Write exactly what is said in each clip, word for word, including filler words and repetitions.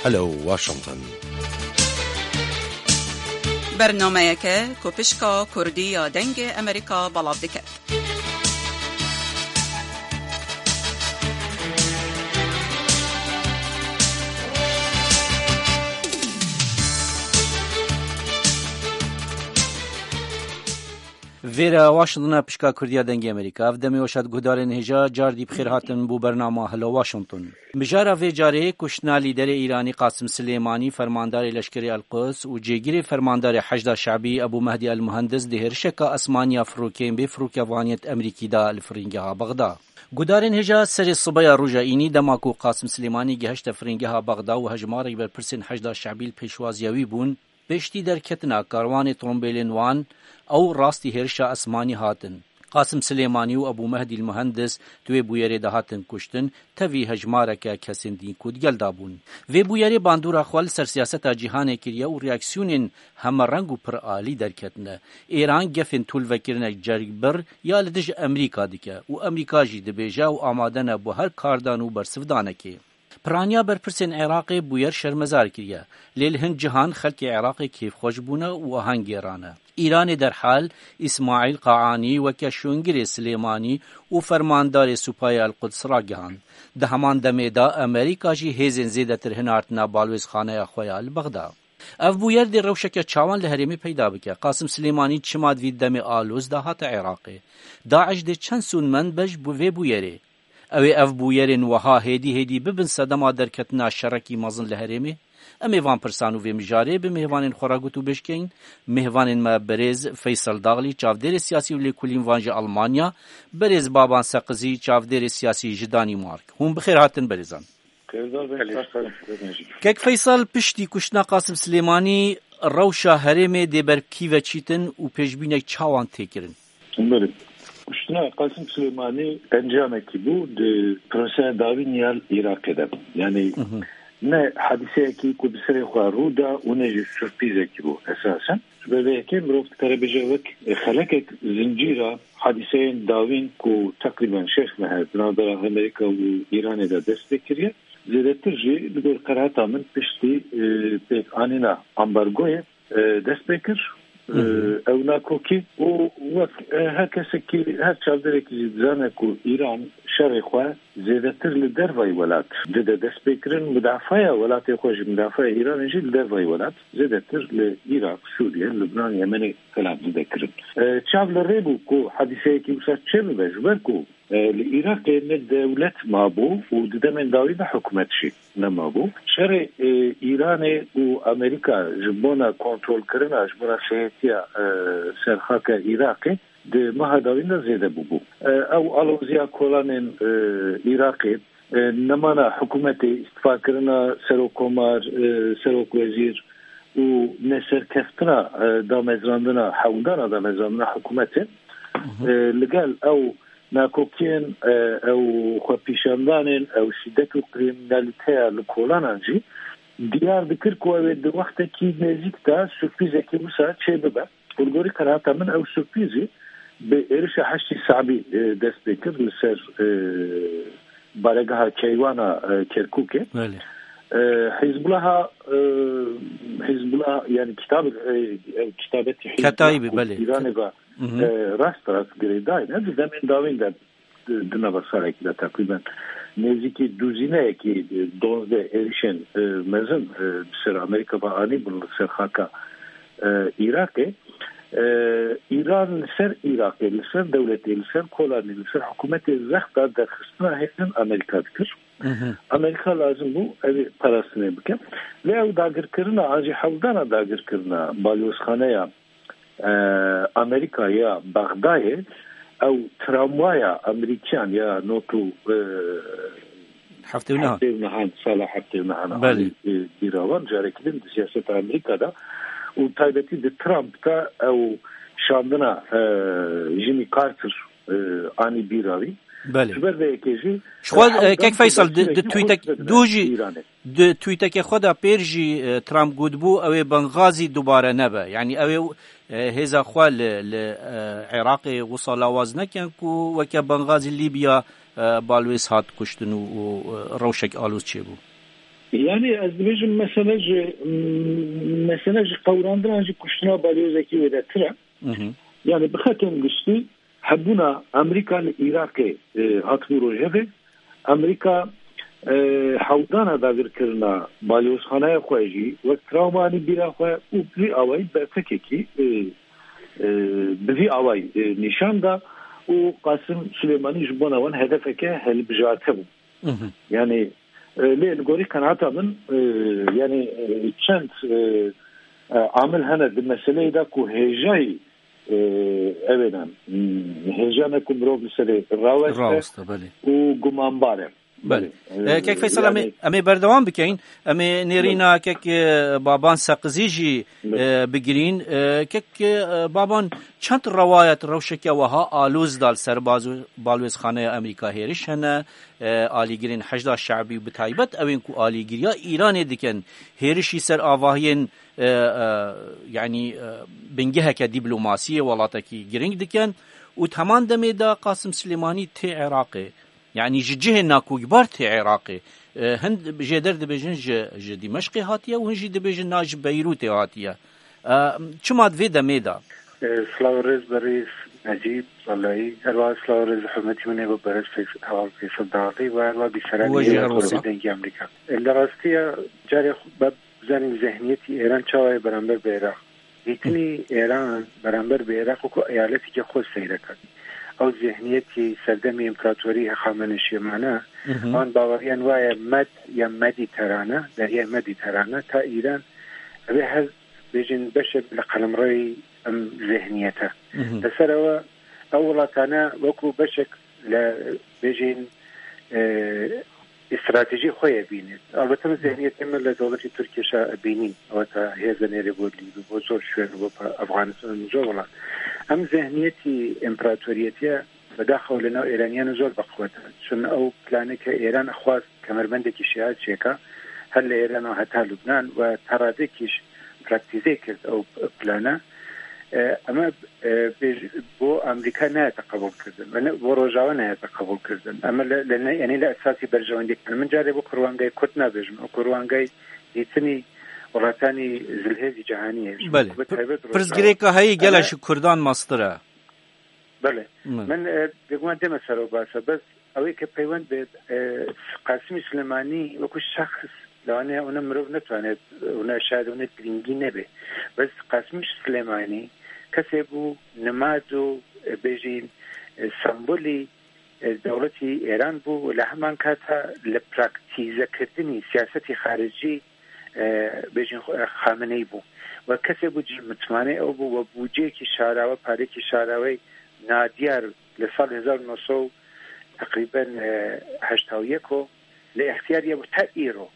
Hello Washington. Bernameyeke ku pişka Kurdî ya Dengê Amerîka belav dike. Vêre Washington a pişka Kurdiya Dengê Amerîka. Ev demê weş hat guhdarên hêja, car dî bi xêr hatin bo bernama Hello Washington. Mijara vê carê kuştina lîderê Îranî Qasim Silêmanî, fermandarê leşkerê El Quds û cêgirê fermandarê Heşda Şebî Ebû Mehdî El Muhendis di hêrişeka esmaniya firokeyên bê firokevaniyet Amerîkî de li firingeha Bexda. Guhdarên hêja serê sibeya roja înî dema ku Qasim Silêmanî gehişte firingeha Bexda û hejmarek berpirsên Heşda Şebî li pêşwaziya wî bûn, piştî derketina karwanê trombêlên wan, ew rastî hêrişa esmanî hatin. Qasim Silêmanî û Ebû Mehdî Muhendis di wê bûyerê de hatin kuştin, tevî hejmareke kesên din ku di gel de bûn. Vê bûyerê bandora xwe li ser siyaseta cîhanê kiriye û reaksiyonên hemereng û pir alî derketine. Îran gefên tûlvekirinek cergbir ya li dij Amerîka dike û Amerîka jî dibêje ew amade ne bo her kardan û bersivdanekê. Piraniya berpirsên Iraqê bûyer şermezar kiriye, lê li hin cihan xelkê Iraqê kêfxweş bûne û ahengê rane. Îranê derhal Îsmaîl Qaanî weke şûngirê Silêmanî û fermandarê Supayê El Quds ragihand. Di heman demê de Amerîka jî hêzên zêdetir hinartine balwêzxaneya xwe ya li Bexda. Ev bûyer dê rewşeke çawan li herêmê peyda bike. Qasim Silêmanî çima di vî demê aloz de hate Iraqê? DAIŞ dê çend sûdmend be ji bo vê bûyerê? Ew ê ev bûyerên wiha hêdî hêdî bibin sedema derketina şerekî mezin li herêmê? Em ê van pirsan û vê mijarê bi mêvanên xwe re gotûbêj keyin. Mêvanên me berêz Feysel Daxlî, çavdêrê siyasî û lêkolîn van ji Almanya, berêz Baban Seqizî, çavdêrê siyasî ji Danîmark. Hûn bi xêr hatin berêzan. Serdar Bey, sax kalın. Kek Feysel, piştî kuştina Qasim Silêmanî rewşa herêmê dê ber kî ve çîtin û pêşbînek çawan tê kirin? Belê. Kuştina Qasim Silêmanî encamekî bû di proseya dawîn ya Iraqê de. Yani Hı hı. ne hadiseyekî ku bi serê xwe rû da û ne jî surprîzekî bû esasen. Ji ber vê yekê mirov dikare bêje wek xelekek zincîra hadiseyên dawîn ku teqrîben şeş meh e di navbera Amerîka û Îranê de dest pê kiriye. Zêdetir jî li gor qenaeta min piştî, e, pêkanîna ambargoyê, e, dest pê kir. E, Hı hı. ew nakokî û wek, e, her kesekî, her çavdêrekî jî dizane ku Îran şerê xwe zêdetir li dervayî welat dide destpêkirin, mudafaya welatê xwe jî, mudafaya Îranê jî li dervayî welat, zêdetir li Iraq, Sûriye, Lubnan, Yemenê falan dide kirin. E, çav li rê bû ku hadîseyekî wisa çêbibe, ji ber ku, e, li Iraqê ne dewlet mabû û di demên dawî de hikûmet jî nemabû. Şerê, e, Îranê û Amerîka ji bona kontrolkirina, ji bona sêhetiya, e, serxaka Iraqê, di meha dawîn de zêde bûbû. E, ew aloziya kolanên, e, Iraqê, e, nemana hikûmetê, îstifakirina serokkomar, e, serokwezîr û neserkeftina, e, damezrandina, hewldana damezrandina hikûmetê, Hı hı. e, li gel ew nakokiyên, e, ew xwepîşandanên, ew şîdet û krîminalîteya li kolanan jî diyar dikir ku ew ê di wextekî nêzîk de surprîzekî wisa çêbibe. Li gorî qenaeta min ew surprîzî bi êrişa Heşdî Se'bî, e, dest pê kir li ser, e, baregeha keywana, e, Kerkûkê. Belê. E, Hizbulaha, e, Hizbullah, yani kitab, e, e, kitabetî Hizbullah Ketaîbî, ku belê. Îranê ve, Hı hı. e, rast rast girêdayî ne, di demên dawîn de di, di nava salekî de teqrîben nêzîkî duzîneyekî, e, duwazdeh êrişên, e, mezin, e, bi ser Amerîka ve anîbûn li ser xaka, e, Iraqê. E, Îran li ser Iraqê, li ser dewletê, li ser kolanê, li ser hikûmetê zexta derxistina hêzên Amerîka dikir. Hı hı. Amerîka lazim bû ev ê parastinê bike. Lê ew dagirkirina, an jî hewldana dagirkirina balyozxaneya e, Amerîka ya Bexdayê, ew tramwaya Amerîkiyan ya not û, e, Heftê û neh. heftê û nehan, sala heftê û nehan Belê. anî, e, bîra wan, carekî din di siyaseta Amerîka de û taybetî di Trump de ew şandina, e, Jimmy Carter, e, anî bîra wî. Belê. Ji ber vê yekê jî, Ji xwe, e, e, hewldan Kek Feysel, di, di tweetek, dû jî, Îranê. Di tweeteke xwe de pêr jî, e, Trump gotibû, ew ê Bengazî dubare nebe. Yanî ew ê, e, hêza xwe li, li, e, Iraqê wisa lawaz nekin ku weke Bengazî Lîbya, e, balwêz hat kuştin û, û, e, rewşek aloz çêbû. Yani ez dibêjim mesele ji, mesele ji qewrandinan ji kuştina balyozekî wêdetir e. Mhm. Yani bi xetên giştî hebûna Amerîka li Îraqê, e, hatibû rojevê. Amerîka, e, hewdana dagirkirina balyozxaneya xwe jî wek trawma anî bîra xwe û bi vî awayî bertekekî, e, e, bi vî awayî, e, nîşan da û Qasim Silêmanî ji bona wan hedefeke hilbijarte bû. Mhm. Yani, e, lê li gorî qenaeta min, e, yani, e, çend, e, e, amil hene di meseleyê de ku hêjayî, e, ew ê ne, hmm, hêja ne ku mirov li serê raweste Raweste, belê. Û gumanbar e. Belê. Belê. E, Kek Feysel, em ê, yani em ê berdewam bikeyin. Em ê nêrîna Belê. Kek, e, Baban Seqizî jî, Belê. e, bigirîn. E, Kek, e, Baban, çend rewayet rewşeke weha aloz da li ser bazo-, balwêzxaneya Amerîka hêriş hene. E, alîgirên Heşda Şe'bî û bi taybet ew ên ku alîgiriya Îranê dikin, hêrişî ser avahiyên, e, e, yanî, e, bingeheke dîplomasiyê welatekî giring dikin û di heman demê de Qasim Silêmanî tê Iraqê. Yanî ji cihê nakokbar tê Iraqê. E, hin jêder dibêjin ji, ji Dîmeşqê hatiye û hin jî dibêjin na ji Beyrûtê hatiye. E, çima di vê demê de? E, silav û rêz berêz Necîb Zelayî, herwiha silav û rêz hurmetî min ê bo berêz Feys-, Heval Feysel Dağlı ve herwiha bîseranî We jî her wisa. Dengê Amerîka. E, li rastiya carê xwe be-, bizanîn zihniyetî Êran çawa ye beramber bi Iraq. Dîtinî Êran beramber bi Iraq wekû eyaletekî xwe seyre ket. Ew zihniyetî serdemî împeratorî Hexameneşiyê mane, Mhm. wan baweriyan waye Med ya Medîterane, deryaya Medîterane, ta Îran, ev ê her bêjin beşek li qelemreyî em zihniyete. Mhm. Li ser ew, ew welatane wekû beşek li bêjin, e, stratejî xwe ye bînin. Elbette min zihniyetê min li dewletê Tirkiye şa bînîn. Weta hêza nêrê bo Lîbî, bo zor şwên, bo pa-, Afganistan, zor welat. Em zihniyetî împeratoriyetiye bedaxew li nav Êraniyan zor bi qwet e. Çun ew planê ke Êran xwest kemerbendekî şiya çêka, her li Êran û heta Lubnan we ta radekî jî praktîze kir ew plane. E, ema, e, bêj-, bo Amerîka nehate qebûl kirdin. Ve ne, bo Rojava nehate qebûl kirdin. Ema li, li ne, yanî li esasî berjewendiyek min carê bo kurwangayê Kurd nabêjim. O kurwangayê dîtinî welatanî zilhêzî cihanî ye. Belê. Bi taybet Rojava. Pirsgirêka heyî gele Ema ji Kurdan mestir e. Belê. Min. Min, e, bêguman dême ser o basa. Bes ew ê ke peywend be, e, Qasimî Silêmanî wekû şexs, yani, ona mirov netwanê, ona şayet ona giringî nebe. Bes Qasimî Silêmanî kesê bû, nimad û, e, bêjîn, e, sembolî, e, dewletî Êran bû, li heman kata li praktîzekirdinî siyasetî xaricî, e, bêjin xwe, e, Xameneî bû. We kesê bû cî mitmanê ew bû, we bûceyekî şarawe, parêkî şaraweyî nadiyar li sal hezar û neh sed teqrîben, e, heşta û yek o li îxtiyar ye bû ta îro.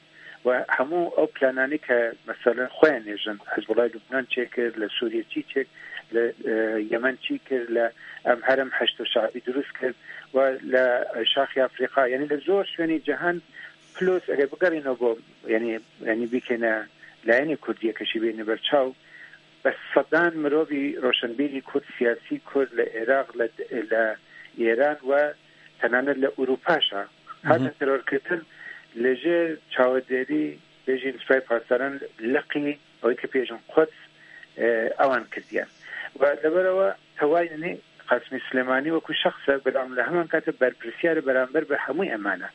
We hemû ew plananî ke, mesela, xwe nêjin, Hizbullah Lubnan çêkir, li Sûriye çî çêk, li, e, Yemen çî kir, li em herem Heşdo Şe'bî dirust kir, we li Şaxî Afrîqa, yanî li zor şwênî cihan, plus eger bigerîno bo, yanî, yanî bikêne layînê Kurdiyê ke jî bêne ber çaw, bi sedan mirovî roşenbîrî Kurd, siyasî Kurd li Iraq, li, li Îran we tenane li Ewropa jî hatin terorkirin, li jêr çawedarî bêjin Sipayê Pasdaran, Liqî, ew ê ke bêjin Quds, e, ewan kirdiye. Ve li ber ewa tewayînê Qasimî Silêmanî wekû şexs e, belam li heman kate berpirsiyar e beramber bi hemû eman e.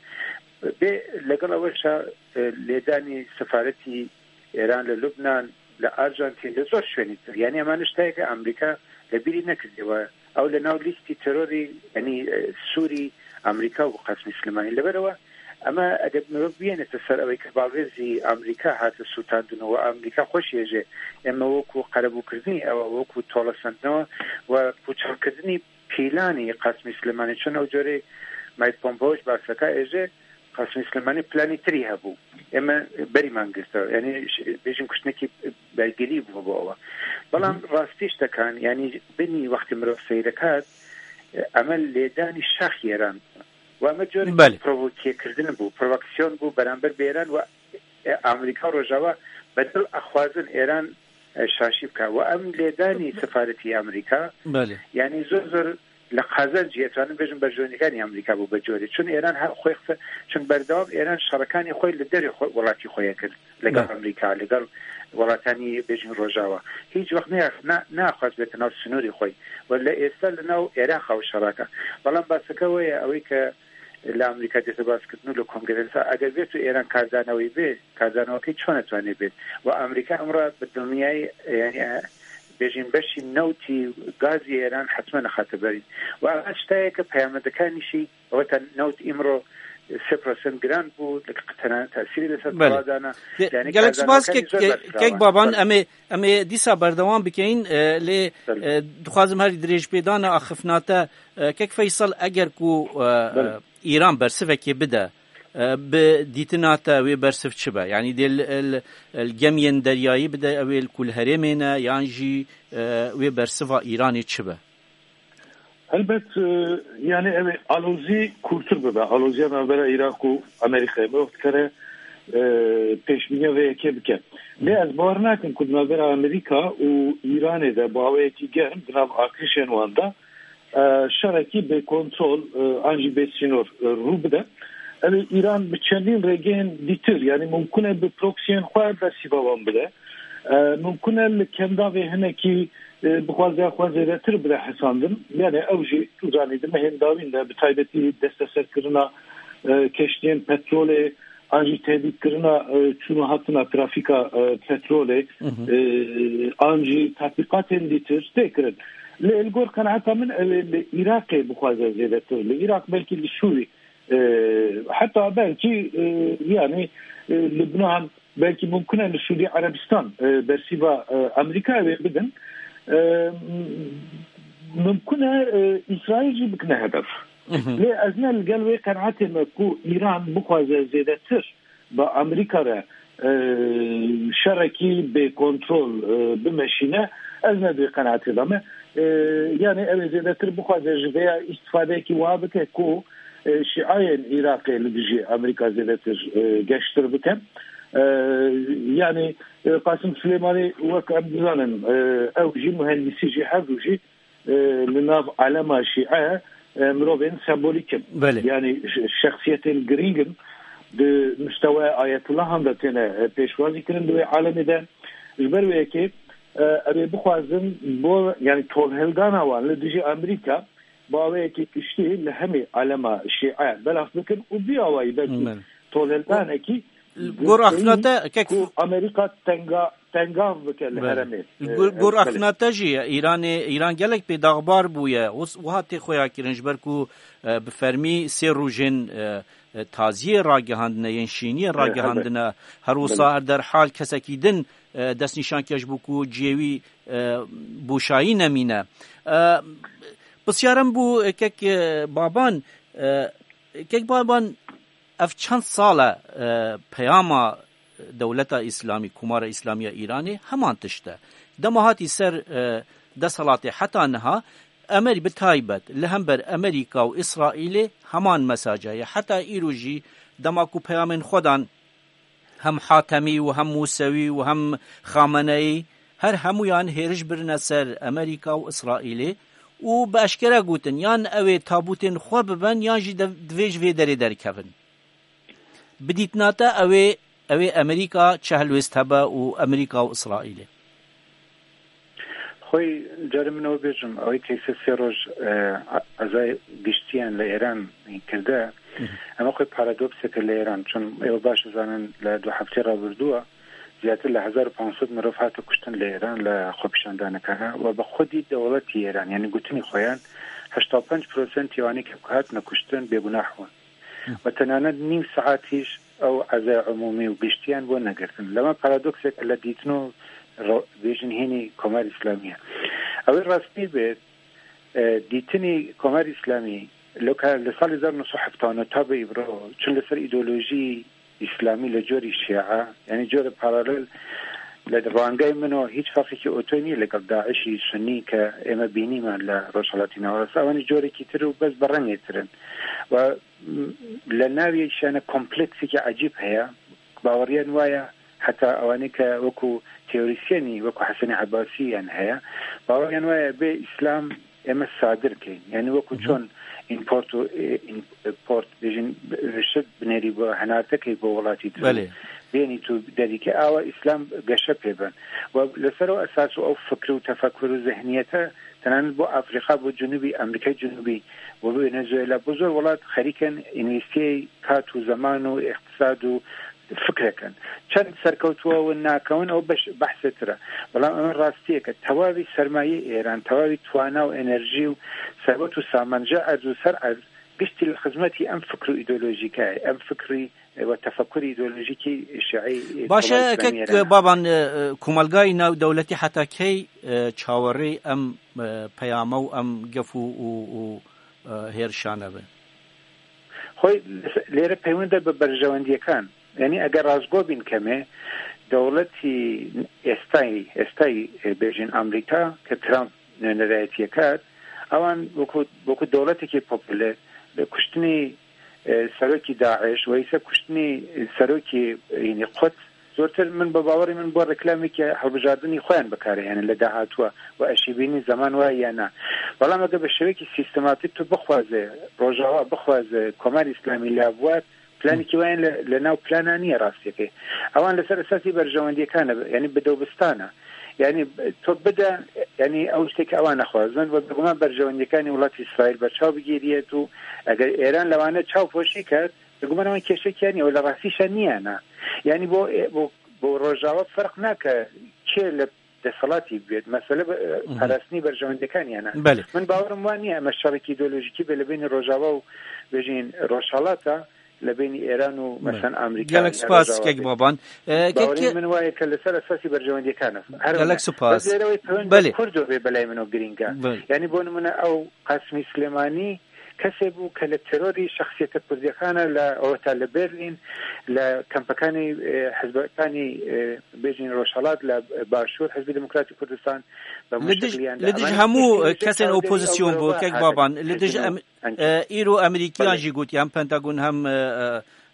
Bê legel ewe şa, e, lêdanî sefaretî Îran li Lubnan, li Arjantîn, li zor şwênî tir. Yanî eman tiştayê ke Amerîka li bîrî nekirdiye we. Ew li nav lîstî terorî, yanî, e, Sûrî, Amerîka û Qasimî Silêmanî. Li ber ewe, ema eger mirov biyêne te ser ew ê ke balwêzî Amerîka hate sûtandin û Amerîka xweşiye jê, ema wekû qerebûkirinî ew, wekû tolesandinê we, we pûçelkirinî pîlanî Qasimî Silêmanî, çun ew corê Mike Pompeo ji baseka êje Qasimî Silêmanî planî tirî hebû. Ême berî man girte. Yanî ş-, bêjin kuştinekî belgelî bû bo ewa. Belam Hı hı. rastî ştekan, yanî binî wextê mirov seyre kat, eme lêdanî şax Îran. Ve eme corê Belê. provokêkirdin bû, provokaksiyon bû beramber bi Îran ve, e, Amerîka Rojava bedel axwazin Îran, e, şaşî bike. Ve em lêdanî sefaretî Amerîka, Belê. yanî zor zor لە قازانجی ئەتوانم بێژم بەرژەوەندیەکانی ئەمریکا بوو بە جۆرێ، چون ئێران هە-، خۆی قسە، چون بەردەوام ئێران شەڕەکانی خۆی لە دەرێ خۆ-، وڵاتی خۆیە کرد لەگەڵ بەڵێ. ئەمریکا، لەگەڵ وڵاتانی بێژین ڕۆژاوا. هیچ وەخت نیا-، نا-، ناخواست بێتە ناو سنووری خۆی و لە ئێستا لە ناو عێراقا و شەڕاکە. بەڵام باسەکە وەیە ئەوەی کە لە ئەمریکا دێتە باسکردن و لە کۆنگرێسا، ئەگەر بێت و ئێران کاردانەوەی بێ، کاردانەوەکەی چۆن ئەتوانێ بێت؟ و ئەمریکا ئەمڕۆ بە دڵنیایی، یعنی، ئە، بێژین بەشی نەوتی گازی ئێران حتممە نەخاتە بەرین. و ئەمە شتایەکە پەیامەتەکانیشی ئەوەتە نەوت ئیمڕۆ سێ پرۆسنت گران بوو، لە تەنانەت تەسیری لەسەر بەڵێ. تەوادانە. گە-، یعنی گەلێک سپاس کاردانەوەکانی کەک-، زۆر کە-، بەرفراوان. کەک بابان، بەڵێ. ئەمێ، ئەمێ دیسا بەردەوام بکەین، ئە، لێ، بەڵێ. ئە، دخوازم هەر درێژ پێدانە ئاخفناتە، ئە، کەک فەیسەڵ ئەگەر کو، ئە، بەڵێ. ئە، ئیران بەرسڤەکێ بدە، ئە، بە دیتناتە وێ بەرسڤ چ بە؟ یعنی دێ ل-، ل-، ل گەمیێن دەریایی بدە ئەوێ ل کول هەرێمێنە، یان ژی، ئە، وێ بەرسڤا ئیرانێ چ بە؟ Helbet, e, yani ev alozî kûrtir bibe. Aloziya navbera Iraq û Amerîkayê mirov dikare, e, pêşbîniya vê yekê bike. Lê ez bawer nakim ku di navbera Amerîka û Îranê de bi awayekî germ di nav artêşên wan de, e, şerekî bêkontrol, e, an jî bêsînor, e, rû bide. Ev ê Îran bi çendîn rêgehên dîtir, yani mumkun e bi proksiyên xwe bersiva wan bide. E, mumkun e li Kendavê hinekî e, bixwaze xwe zêdetir bide hesandin. Yani ew jî tu zanî di mehên dawîn de bi taybetî desteserkirina, e, keştiyên petrolê, an jî tehdîtkirina, e, çûn û hatina trafîka, e, petrolê, Hı hı. e, an jî tatbîqatên dîtir tê kirin. Lê li gor qenaeta min ew ê li Iraqê bixwaze zêdetir. Li Iraq belkî li Sûrî, e, heta belkî, e, yani, e, Lubnan, belkî mumkin e li Sûdî Erebistan, e, bersiva, e, Amerîkayê wê bidin. E, mumkin e, e, Îsraîl jî bikine hedef. Mhm. Lê ez ne li gel wê qenaetê me ku Îran bixwaze zêdetir bi Amerîka re, e, şerekî bêkontrol, e, bimeşîne, ez ne di wê qenaetê de me. E, yani ew ê zêdetir bixwaze ji vêya îstifadeyekî wiha bike ku, e, şîayên Iraqê li dijî Amerîka zêdetir, e, geştir bike. E, yani, e, Qasim Silêmanî wek em dizanin, e, ew jî muhendîsî jî her du jî, e, li nav alema şîe, e, mirovên sembolîk in. Belê. Yani ş-, şexsiyetên girîng in. Di mistewaya Ayetullah han de têne, e, pêşwazî kirin di wê alemê de. Ji ber wê yekê, e, ew ê bixwazin bo, yani tolhildana wan li dijî Amerîka, bi awayekî giştî li hemî alema şîe belav bikin û bi awayî belkî Belê. tolhildanekî Gor girtî axna te, kek ku Amerîka tenga-, tengav bike li Belê. heremê. Gor, E, gor belê. axna te jî Îranê, Îran gelek bê daxbar bûye. Wis-, wiha tê xweya kirin ji ber ku, e, bi fermî sê rojên, e, e, taziyê ragihandine, yên şîniyê E, ragihandine. Her wisa Belê. her derhal kesekî din, e, destnîşan kir ji bo ku cihê wî, e, boşayî nemîne. E, Pisyarem bû, e, kek, e, Baban, e, kek Baban, ev çend sal e, e, peyama dewleta Îslamî, Komara Îslamî ya Îranê heman tişt e. Dema hatî ser, e, desthilatê heta niha, Emerî bi taybet li hember Emerîka û Îsraîlê heman mesaja ye. Heta îro jî dema ku peyamên xwe dan hem Hatemî û hem Mûsewî û hem Xameneyî, her hemûyan hêriş birine ser Emerîka û Îsraîlê û bi eşkere gotin, yan ew ê tabûtên xwe bibin, yan jî dev-, divê ji vê derê derkevin. Bi dîtina te ew ê, ew ê Emerîka çi helwêst hebe û Emerîka û Îsraîlê? Xwey carê min ew bêjim, ew ê keyse sê roj, e, ezayê giştiyan li Êran kirde. Hı hı. Ema xwey paradokseke li Êran, çun êwe baş dizanin li du heftê rabirdû, ziyadtir li hezar û panc sed mirov hate kuştin li Êran, li xwepîşandanekana. We bi xwedî dewletî Êran, yanî gotinî xweyan, heşta û pênc prosentî wanî ke hatine kuştin bêgunah bûn. Hı. We tenanet nîv saet hîş ew ezaya umûmî û giştiyan bo negirtin. Lema paradoksek li dîtin û ro-, bêjin hînî Komar Îslamî ye. Ew ê rastî be, e, dîtinî Komar Îslamî, lo ka li salê hezar neh sed û hefta û neh ta be îvro, çi li ser îdeolojî Îslamî li corî Şîa, yanî corê paralel li rangay min o hîç ferqekî otoyî nîye legel DAIŞî Sunî ke ême bînîme li Rojhelatî Navast. Ewanî corekî tir û bes bi rengê tir in. We Li navê şiyane kompleksekî ecîb heye. Baweriyan waya heta ewanê ke wekû teorîsyenî, wekû Hesenê Ebasî yan heye. Baweriyan waya bê Îslam ئێمە سادر کەین. یعنی وەکو چۆن import و import بێژین، شت بنێری بۆ هەنارتەکەی بۆ وڵاتی تر، بێنی تو دەریکە ئاوە ئیسلام گەشە پێبن و لەسەرەوە ئەساس و ئەو فکر و تەفەکر و ذهنیەتە تەنانەت بۆ ئەفریقا، بۆ جنوبی ئەمریکای جنوبی و بۆ ڤێنێزوێلا، بۆ زۆر وڵات خەریکن ئینویستیەی کات و زەمان و اقتصاد و فکرەکەن. چەند سەرکەوتووە و ناکەون، ئەو بەش بەحسێ ترە. بەڵام ئەمە ڕاستیەکە، تەواوی سەرمایەی ئێران، تەواوی توانا و ئێنەرژی و سەروەت و سامانجە ئەرز و سەر ئەرز گشتی لە خزمەتی ئەم فکر و ئیدۆلۆژیکایە، ئەم فکری و تەفەکوری ئیدۆلۆژیکی شیعی باشە. کۆماری ئیسلامی کەک ئێران. بابان، ئە، ئە، کۆمەلگای ناو دەولەتی حتا کەی، ئە، چاوەڕێی ئەم، ئە، پەیامە و ئەم گەف و، و، و، ئە، هێرشانە بێ؟ خۆی لێرە پەیوەندە بە بەرژەوەندیەکان. یعنی ئەگەر ڕاستگۆ بین کەمێ، دەوڵەتی ئێستای، ئێستای، ئێ، بێژین ئەمریکا کە ترامپ نوێنەرایەتیەکات، ئەوان وەکو، وەکو دەوڵەتێکی پۆپولەر لە کوشتنی، ئێ، سەرۆکی داعش و ئیسە کوشتنی سەرۆکی، یعنی قوت، زۆرتر من بە باوەڕی من بۆ ڕێکلامێکی هەڵبژاردنی خۆیان بەکارهێنن لە داهاتووە و ئەشیبینی زەمان وایە یا نا. بەڵام ئەگەر بە شێوەیەکی سیستماتیک تو بخوازێ، ڕۆژاوا بخوازێ، کۆماری ئیسلامی لابوات، پلانێکی وایان لە، لە ناو پلانا نییە ڕاستیەکەی. ئەوان لەسەر ئەساسی بەرژەوەندیەکانە، یعنی بدەوبستانە. یعنی تۆ بدە، یعنی ئەو شتێک ئەوان نەخوازن و بێگومان بەرژەوەندیەکانی وڵاتی ئیسرائیل بەرچاو بگیریەت و ئەگەر ئێران لەوانە چاو پۆشی کرد، بێگومان ئەوان کێشەکیان نییە و لە ڕاستیشە نییانە. یعنی بۆ، بۆ، بۆ ڕۆژاوا فەرق ناکە کێ لە دەسەڵاتی بێت، مەسەلە بە-، پاراستنی بەرژەوەندەکانیانە. بەلێ. من باوەڕم وان نییە ئەمە شەڕێکی ئیدۆلۆژیکی بێ لە بینی ڕۆژاوا و بێژین ڕۆژهەڵاتە، لە بینی ئێران و مەسەن ئەمریکا گەلەک یا سوپاس ڕۆژاوا کەک بێت. بابان. ئە، کەک باوەڕی من وایە کە لەسەر ئەساسی بەرژەوەندیەکانە. هەر گەلەک سوپاس. بەس لێرەوەی پەیوەند بەلێ. بە کوردۆ بێ بەلای منەوە گرینگە. بەلێ. یعنی بۆ نمونە ئەو قاسمی سلێمانی کەسێ بوو کە لە تێرۆری شەخسیەتە کوردیەکانە لە ئەوەتا لە بەرلین، لە کەمپەکانی، ئێ، حزبەکانی، ئێ، بێژین ڕۆژهەڵات لە باشوور، حزبی دموکراتی کوردستان بە لە دژ، مشتلیان لە دژ ئەمانە هەموو کێشەی کەسێن ژێرەوەی ئۆپۆزیسیۆن ئەوەی بوو، کەک ئەوەی بابان، لە دژ ئەم-، ئەمریکیان ئێ، ئیر و ئەمریکیان بەڵێ. ژی گوتیان، پەنتاگون هەم، ئێ،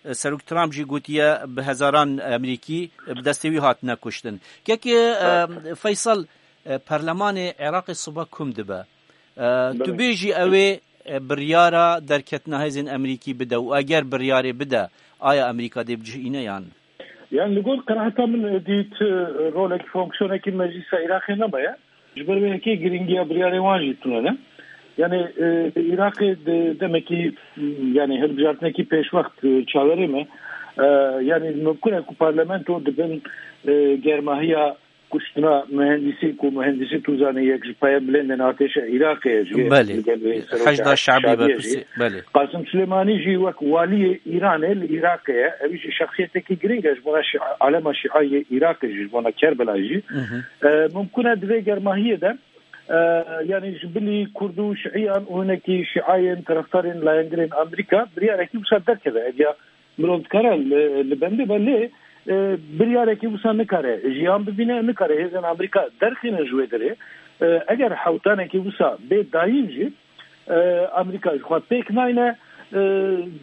ئێ، سەرۆک ترامپ ژی گوتیە بە هەزاران ئەمریکی بە دەستێوی هاتنە کوشتن. کەک، ئێ، ڕاستە. فەیسەڵ، ئێ، پەرلەمانێ عێراقی سبە کوم دبە. ئە، تو بەڵێ. بێژی ئەوێ، ئە، بڕیارە دەرکەتنە هێزên ئەمریکی بدە و ئەگەر بڕیارێ بدە، ئایا ئەمریکا دێ بجهینە یان؟ یان لە گۆر قەناعەتا من ئەدی تی ڕۆلێکی فۆنکسیۆنێکی مەجلیسە عێراقی نەبەیە. Ji ber wê yekê girîngiya biryarê wan jî tune ne. Yani, e, Iraqê di demekî, yani hilbijartinekî pêşwext, e, çaverê me. E, yani mimkun e ku parlamento di bin, e, germahiya kuştina mühendisî ku mühendisî tu zanî yek ji paya bilind in artêşa Iraqê ye jî. Belê. Li gel wê serokê Heşda Şabî Şabî ye jî. Belê. Qasim Silêmanî jî wek waliyê Îranê li Iraqê ye. Ew jî şexsiyetekî girîng e ji bona şi-, alema şîa yê Iraqê jî, ji bona Kerbela jî. Hı hı. E, mimkun e di vê germahiyê de, e, yani ji bilî Kurd û Şiiyan û hinekî şiayên terefdarên layengirên Amerîka biryarekî wisa derkeve. Ev ya Mirov dikare li, li bendê be lê, e, biryarekî wisa nikare jiyan bibîne, nikare hêzên Amerîka derxînin ji wê derê. E, eger hewtanekî wisa bê dayîn jî, e, Amerîka ji xwe pêk nayne, e,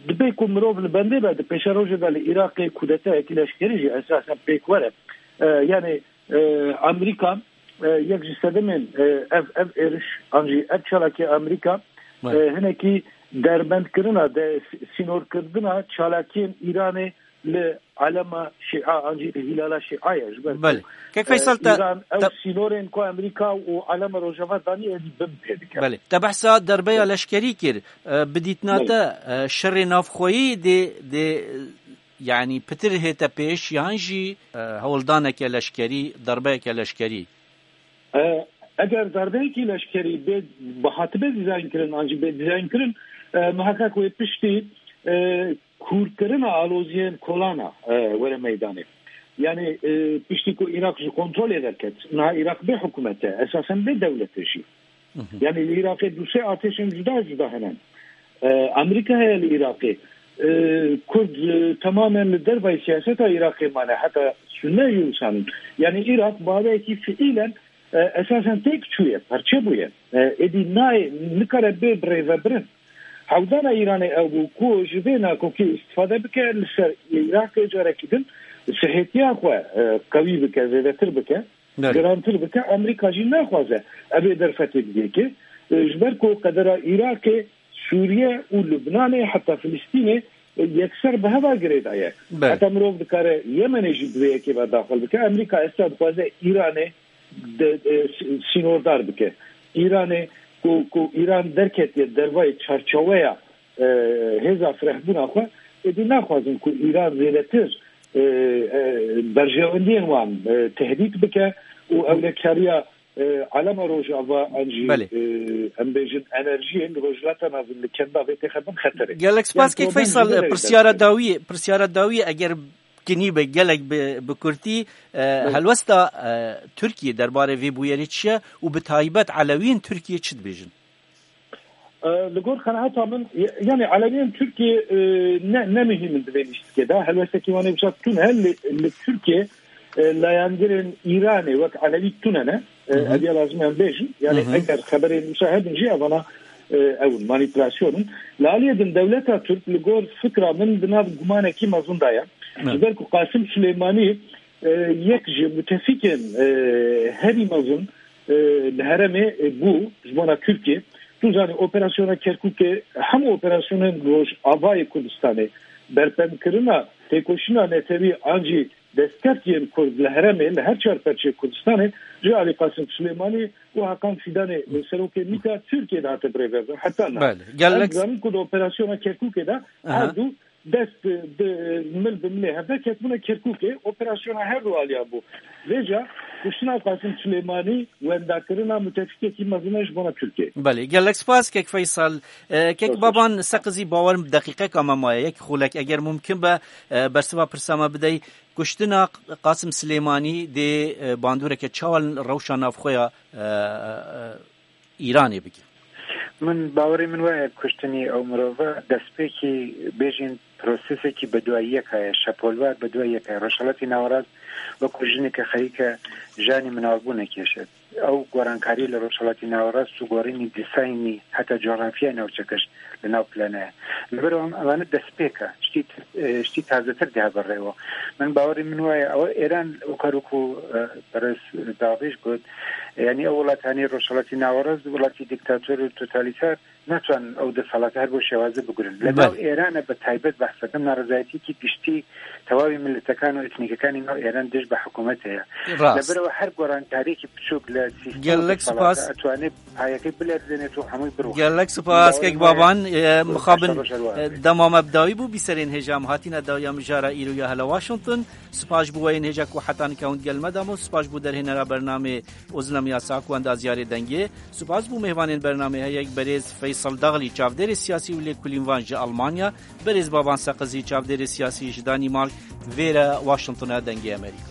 dibê ku mirov li bendê be, di pêşerojê de li Iraqê kudetayekî leşkerî jî esasen pêk were. E, yani, e, Amerîka, e, yek ji sedemên, e, ev, ev êriş an jî ev çalakê Amerîka, e, hinekî derbendkirina, de, sînorkirina çalakiyên Îranê li alema Şîa an jî li Hîlala Şîa ye. Ji ber ku, Belê. Kek e, Feysel, te, Îran ew te sînorên ku Amerîka û alema Rojava daniye êdî bin pê dike. Belê. Te behsa derbeya leşkerî kir. E, bi dîtina Belê. te, e, şerê navxweyî dê, dê, yanî pitir hête pêş yan jî, e, hewldaneke leşkerî, derbeyeke leşkerî? E, eger darbeyekî leşkerî bê, bihatibe dîzaynkirin an jî bê dîzaynkirin, e, miheqeq wê piştî, e, kûrkirina aloziyên kolana, e, were meydanê. Yani, e, piştî ku Iraq ji kontrolê derket, niha Iraq bê hikûmet e, esasen bê dewlet e jî. Hı hı. Yani li Iraqê du sê artêşên cuda cuda hene. E, Amerîka heye li Iraqê. E, Kurd, e, tamamen li dervayî siyaseta Iraqê mane, heta Sunne jî wisa nin. Yani Iraq bi awayekî fiîlen, e, esasen têk çûye, parçe bûye. E, êdî nayê, nikare bê birêvebirin. Hewdana Îranê ew bû ku ji vê nakokê îstifade bike, li ser Iraqê carekî din sihêtiya xwe, e, qewî bike, zêdetir bike. Belê. Girantir bike, Amerîka jî naxwaze ev ê derfetê bidê ki, E, ji ber ku qedera Iraqê, Sûriye û Lubnanê, heta Filistînê, e, yekser bi heva girêdaye. Belê. Heta mirov dikare Yemenê jî bi vê yekê ve daxil bike. Amerîka esta dixwaze Îranê de, e, s-, sînordar bike. Îranê ku, ku Îran derketiye dervayê çarçaweya, e, hêza firehbûna xwe, êdî naxwazin ku Îran zêdetir, e, e, berjewendiyên wan, e, tehdît bike û ewlekariya, e, alema Rojava an jî, Belê. e, em bêjin enerjiyê li Rojhilata Navîn, li Kenda vê têxe bin xeterê. Gelek spas Yani kek problem Feysal, ji vê re pirsyara derdikeve. dawiyê, pirsyara dawiyê eger kinî be gelek bi, bi kurtî, e, Evet. helwesta, e, Tirkiye derbarê vê bûyerê çi ye û bi taybet Elewiyên Tirkiye çi dibêjin? E, li gor qenaeta min, y-, yani Elewiyên Tirkiye, e, ne, ne muhîm in di vê lîstikê de. Helwestekî wan ê wisa tune li, li Tirkiye, e, layengirên Îranê wek Elewî tune ne. E, Hı hı. ev ya lazim em bêjin. Yani Hı hı. eger xeberên wisa hebin jî evana, e, ew in, manîpulasyon in. Li aliyê din dewleta Tirk li gor fikra min di nav gumanekî mezin de ye. Evet. Ji ber ku Qasim Silêmanî, e, yek ji mutefîkên, e, herî mezin, e, li herêmê, e, bû ji bona Tirkiye. Tu zanî operasyona Kerkûkê hemû operasyonên Rojavayê Kurdistanê, berpendkirina têkoşîna netewî an jî destkeft yên Kurd li herêmê, li her çar perçeyê Kurdistanê ji alî Qasim Silêmanî û Hakan Fîdanê, serokê MÎT'ê Tirkiye de hate birêvebin. Heta niha. Belê. Gelek Em dizanin ku di operasyona Kerkûkê de Aha. her du dest, e, di, mil bi milê hevde ketibûne Kerkûkê, operasyona her du aliyan bû. Vêca kuştina Qasim Silêmanî wendakirina mutefîkekî mezin e ji bona Tirkiye. Belê, gelek spas kek Feysal. E, kek Baş Baban Seqizî, bawerim deqîqeka me maye, yek xulek eger mumkin be, e, bersiva pirsa me bidey. Kuştina Qasim Silêmanî dê, e, bandoreke çawa li rewşa navxweya, e, e, Îranê bike? Min bawerê min wayê kuştinî ew mirove destpêkî bêjin prosesekî beduayiyek heye, şepolvar beduayiyek heye. Rojhelatî Nawerast wekû jineke xerîke janî minalbûnekê şe. Ew gorankarî li Rojhelatî Nawerast û gorînî dîsaynî heta coxrafyaya navçekiş li nav plane ye. Li vir wan evane destpêk e. Ştî, e, ştî tazetir dihe ber rêwa. Min bawerî min wayê ew Êran û kar wekû, e, Perez Daxîş got, yanî ew welat hanî Rojhelatî Nawerast welatî dîktator û totalîter, natwan ew desthilata her bo şêwazî bigurin. Li nav Belê. Êran e bi taybet behs dikim, narizayetiyekî giştî tewavî miletekan û etnîkekanî nav Êran dij bi hikûmetê ye. Rast. Li vir ew her gorankariyekî piçûk li sîstem Gelek desthilata spas. etwanê payekê bilerzêne û hemû birû. Gelek spas, Bawerî kek me Baban, e, mixabin, Başa roja e, dema me bi dawî bû, bîserên hêja em hatîne dawiya mijara îro ya hela Washington. Spas ji bo weyên hêja ku heta nika hûn gel me damo. Spas ji bo derhênera bernamê Ozlem Yasak û endaziyarê dengê. Spas bo mêvanên bernamê heyek berêz Feysel Daxlî, çavdêrê siyasî û lêkolînvan ji Almanya, berêz Baban Seqizî, çavdêrê siyasî ji Danîmark, vêre Washingtona dengê Amerîka.